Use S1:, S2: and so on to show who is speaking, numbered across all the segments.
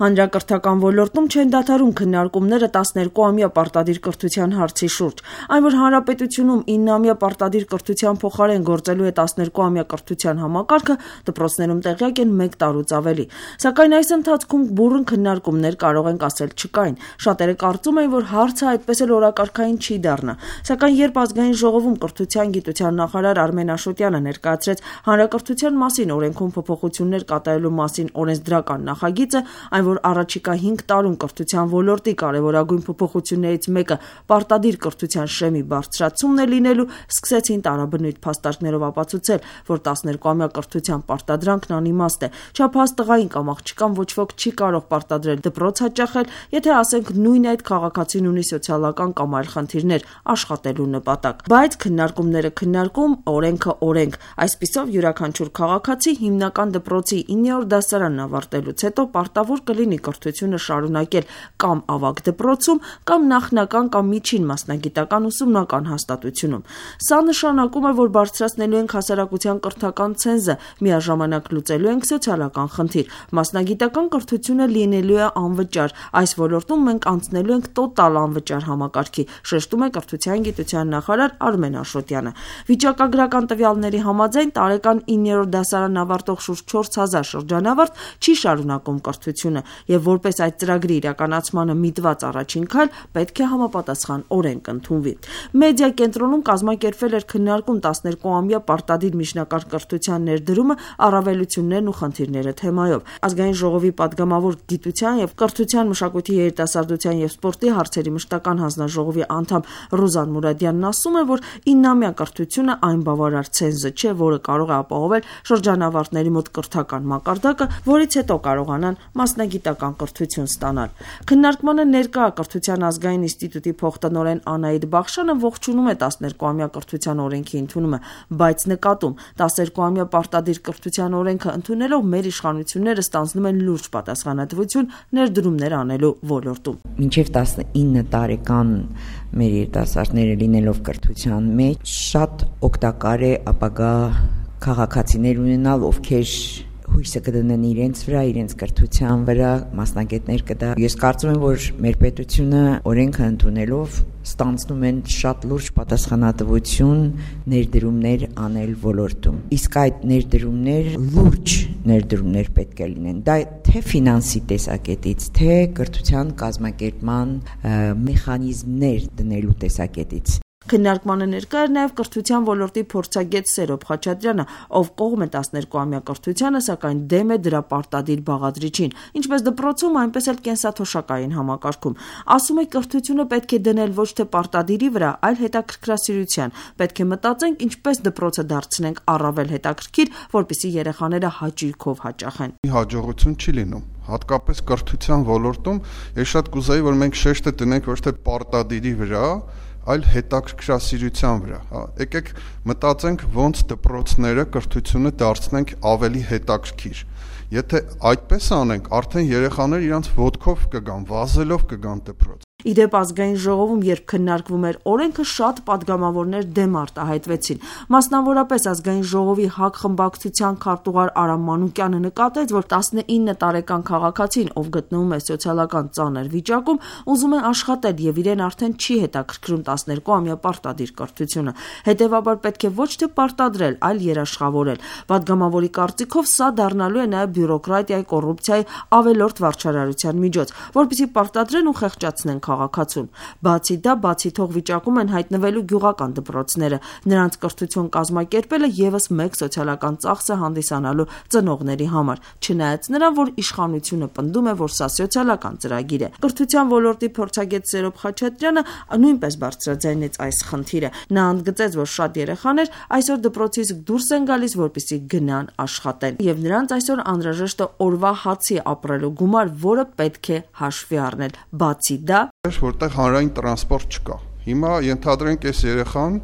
S1: Հանրակրթական ոլորտում չեն դադարում քննարկումները 12-ամյա պարտադիր կրթության հարցի շուրջ։ Այն, որ հանրապետությունում 9-ամյա պարտադիր կրթության փոխարեն գործելու է 12-ամյա կրթության համակարգը, դպրոցներում տեղյակ են 1 տարուց ավելի։ Սակայն այս ընթացքում բուռն քննարկումներ կարող ենք ասել չկային։ Շատերը կարծում են, որ հարցը այդպես էլ օրակարգային չի դառնա։ Սակայն երբ ազգային ժողովում կրթության գիտության նախարար Արմեն Աշոտյանը ներկայացրեց հանրակրթության մասին օրենքում փոփոխություններ կատարելու մասին օրենսդրական նախագիծը, այն որ առաջիկա 5 տարում կրթության ոլորտի կարևորագույն փոփոխություններից մեկը պարտադիր կրթության շեմի բարձրացումն է լինելու, սկսեցին տարաբնույթ փաստարկներով ապացուցել, որ 12-ամյա կրթության պարտադրանքն անիմաստ է։ Չափահաս տղային կամ աղջկան ոչ ոք չի կարող պարտադրել դպրոց հաճախել, եթե ասենք նույն այդ քաղաքացին ունի սոցիալական կամ այլ խնդիրներ աշխատելու նպատակ։ Բայց քննարկումները քննարկում, օրենքը օրենք։ Այսպիսով յուրաքանչյուր քաղաքացի հիմնական դպրոցի 9-րդ դասարանն ավարտելուց հետո պարտավոր կլինի կրթությունը շարունակել կամ ավագ դպրոցում, կամ նախնական կամ միջին մասնագիտական ուսումնական հաստատությունում։ Սա նշանակում է, որ բարձրացնելու ենք հասարակության կրթական ցենզը, միաժամանակ լուծելու ենք սոցիալական խնդիր։ Մասնագիտական կրթությունը լինելու է անվճար։ Այս ոլորտում մենք անցնելու ենք տոտալ անվճար համակարգի, շեշտում է կրթության գիտության նախարար Արմեն Աշոտյանը։ Վիճակագրական տվյալների համաձայն տարեկան 9-րդ դասարան ավարտող շուրջ 4000 շրջանավարտ չի շարունակում կրթությունը, եւ որպես այդ ծրագրի իրականացմանը միտված առաջին քայլ պետք է համապատասխան օրենք ընդունվի։ Մեդիա կենտրոնում կազմակերպվել էր քննարկում 12-ամյա պարտադիր միջնակարգ կրթության ներդրումը, առավելություններն ու խնդիրները թեմայով։ Ազգային ժողովի падգամավոր գիտության եւ կրթության, մշակույթի, երիտասարդության եւ սպորտի հարցերի մշտական հանձնաժողովի անդամ Ռուզան Մուրադյանն ասում է, որ 9-ամյա կրթությունը այն բավարար ցենզը չէ, որը կարող է ապահովել շրջանավարտների մոտ կրթական մակարդակը, որից հետո կարողանան մասնագիտական կրթություն ստանալ։ Քննարկմանը ներկա կրթության ազգային ինստիտուտի փոխտնօրեն Անահիտ Բախշյանը ողջունում է 12-ամյա կրթության օրենքի ընդունումը, բայց նկատում 12-ամյա պարտադիր կրթության օրենքը ընդունելով մեր իշխանությունները ստանձնում են լուրջ պատասխանատվություն ներդրումներ անելու ոլորտում։
S2: Մինչև 19 տարեկան մեր երիտասարդները լինելով կրթության մեջ շատ օգտակար է ապագա քաղաքացիներ ունենալ, ովքեր հույսը կդնեն իրենց վրա, իրենց կրթության վրա, մասնագետներ կդա։ Ես կարծում եմ, որ մեր պետությունը օրենքը ընդունելով ստանձնում են շատ լուրջ պատասխանատվություն ներդրումներ անել ոլորտում։ Իսկ այդ ներդրումներ լուրջ ներդրումներ պետք է լինեն։ Դա թե ֆինանսի տեսակետից, թե կրթության կազմակերպման մեխանիզմներ դնելու տեսակետից։
S1: Քննարկմանը ներկա էր նաև կրթության ոլորտի փորձագետ Սերոբ Խաչատրյանը, ով կողմ է 12-ամյա կրթությանը, սակայն դեմ է դրա պարտադիր բաղադրիչին, ինչպես դպրոցում, այնպես էլ կենսաթոշակային համակարգում։ Ասում է, կրթությունը պետք է դնել ոչ թե պարտադիրի վրա, այլ հետաքրքրասիրության։ Պետք է մտածենք, ինչպես դպրոցը դարձնենք առավել հետաքրքիր, որպեսզի երեխաները հաճույքով հաճախեն։
S3: Հաջողություն չի լինում։ Հատկապես կրթության ոլորտում ես շատ կուզեի, որ մենք շեշտը դնենք ոչ թե պարտադիրի վրա, այլ հետաքրքրասիրության վրա։ Եկեք մտածենք ոնց դպրոցները կրթությունը դարձնենք ավելի հետաքրքիր։ Եթե այդպես անենք, արդեն երեխաները իրանց ոտքով կգան, վազելով կգան դպրոց։
S1: Իդեպ ազգային ժողովում, երբ քննարկվում էր օրենքը, շատ падգամավորներ դեմ արտահայտվեցին։ Մասնավորապես ազգային ժողովի ՀԱԿ խմբակցության քարտուղար Արամ Մանուկյանը նկատեց, որ 19 տարեկան քաղաքացին, ով գտնվում է սոցիալական ծանր վիճակում, ուզում է աշխատել եւ իրեն արդեն չի հետաքրքրում 12-ամյա պարտադիր կրթությունը։ Հետևաբար պետք է ոչ թե պարտադրել, այլ երաշխավորել։ Падգամավորի կարծիքով սա դառնալու է նաեւ բյուրոկրատիայի, կոռուպցիայի ավելորդ վարչարարության միջոց, որպեսզի պարտադրեն ու խեղճացնեն քաղաքացուն։ Բացի դա, բացի թող վիճակում են հայտնվելու գյուղական դպրոցները։ Նրանց կրթություն կազմակերպելը եւս մեկ սոցիալական ծախս է հանդիսանալու ծնողների համար, չնայած նրան, որ իշխանությունը պնդում է, որ սա սոցիալական ծրագիր է։ Կրթության ոլորտի փորձագետ Սերոբ Խաչատրյանը նույնպես բարձրաձայնեց այս խնդիրը։ Նա ընդգծեց, որ շատ երեխաներ այսօր դպրոցից դուրս են գալիս, որպեսզի գնան աշխատեն, եւ նրանց այսօր անհրաժեշտ է օրվա հացի ապրելու գումար, որը պետք է հաշվի առնել։ Բացի դա,
S3: որտեղ հանրային տրանսպորտ չկա։ Հիմա ենթադրենք այս երեխան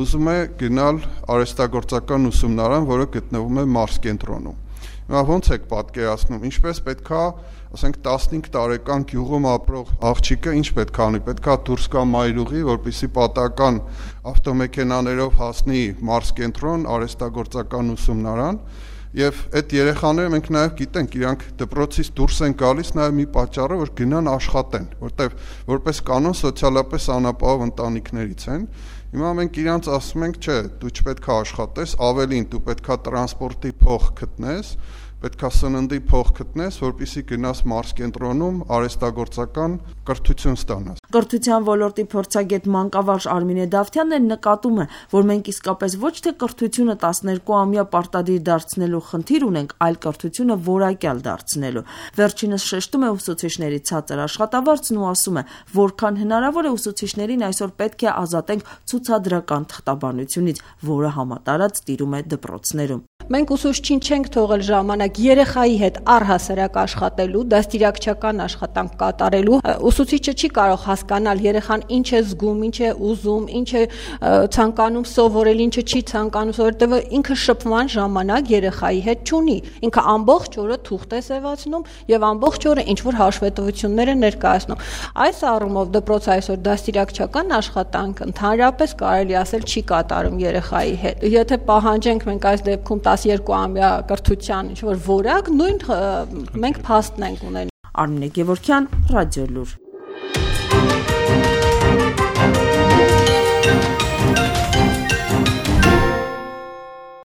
S3: ուզում է գնալ արհեստագործական ուսումնարան, որը գտնվում է Մարս կենտրոնում։ Հիմա ո՞նց եք պատկերացնում, ինչպես պետքա, ասենք 15 տարեկան գյուղում ապրող աղջիկը ինչ պետք է անի, պետքա դուրս գա մայրուղի, որպեսզի պատական ավտոմեքենաներով հասնի Մարս կենտրոն, արհեստագործական ուսումնարան, Եվ այդ երեխաները մենք նաև գիտենք, իրանք դպրոցից դուրս են գալիս նաև մի պատճառը, որ գնան աշխատեն, որտեվ որպես կանոն սոցիալապես անապահով ընտանիքներից են։ Հիմա մենք իրանց ասում ենք, չէ, դու չպետք է աշխատես, ավելին դու պետք է տրանսպորտի փող գտնես, պետք է սննդի փող գտնես, որպեսզի գնաս մարզկենտրոնում արհեստագործական կրթություն ստանաս։
S1: Կրթության ոլորտի փորձագետ մանկավարժ Արմինե Դավթյանն նկատում է, որ մենք իսկապես ոչ թե կրթությունը 12-ամյա պարտադիր դարձնելու խնդիր ունենք, այլ կրթությունը որակյալ դարձնելու։ Վերջինս շեշտում է ուսուցիչների ցածր աշխատավարձն ու ասում է, որքան հնարավոր է ուսուցիչներին այսօր պետք է ազատենք ցուցադրական թղթաբանությունից, որը համատարած տիրում է դպրոցներում։
S4: Մենք ուսուցչին չենք թողել ժամանակ երեխայի հետ առհասարակ աշխատելու, դաստիարակչական աշխատանք կատարելու։ Ուսուցիչը չի կարող հասկանալ երեխան ինչ է զգում, ինչ է ուզում, ինչ է ցանկանում սովորել, ինչը չի ցանկանում սովորել, որտեղ ինքը շփման ժամանակ երեխայի հետ չունի։ Ինքը ամբողջ օրը թուղթ է սևացնում եւ ամբողջ օրը ինչ որ հաշվետվություններ է ներկայացնում։ Այս առումով դպրոցը այսօր դաստիարակչական աշխատանք ընդհանրապես կարելի ասել չի կատարում երեխայի հետ։ Եթե պահանջենք մենք այս դեպքում 12-ամյա կրթության ինչ որ որակ, նույն մենք փաստն ենք ունենում։
S1: Արմինե Գևորգյան, Ռադիոլուր։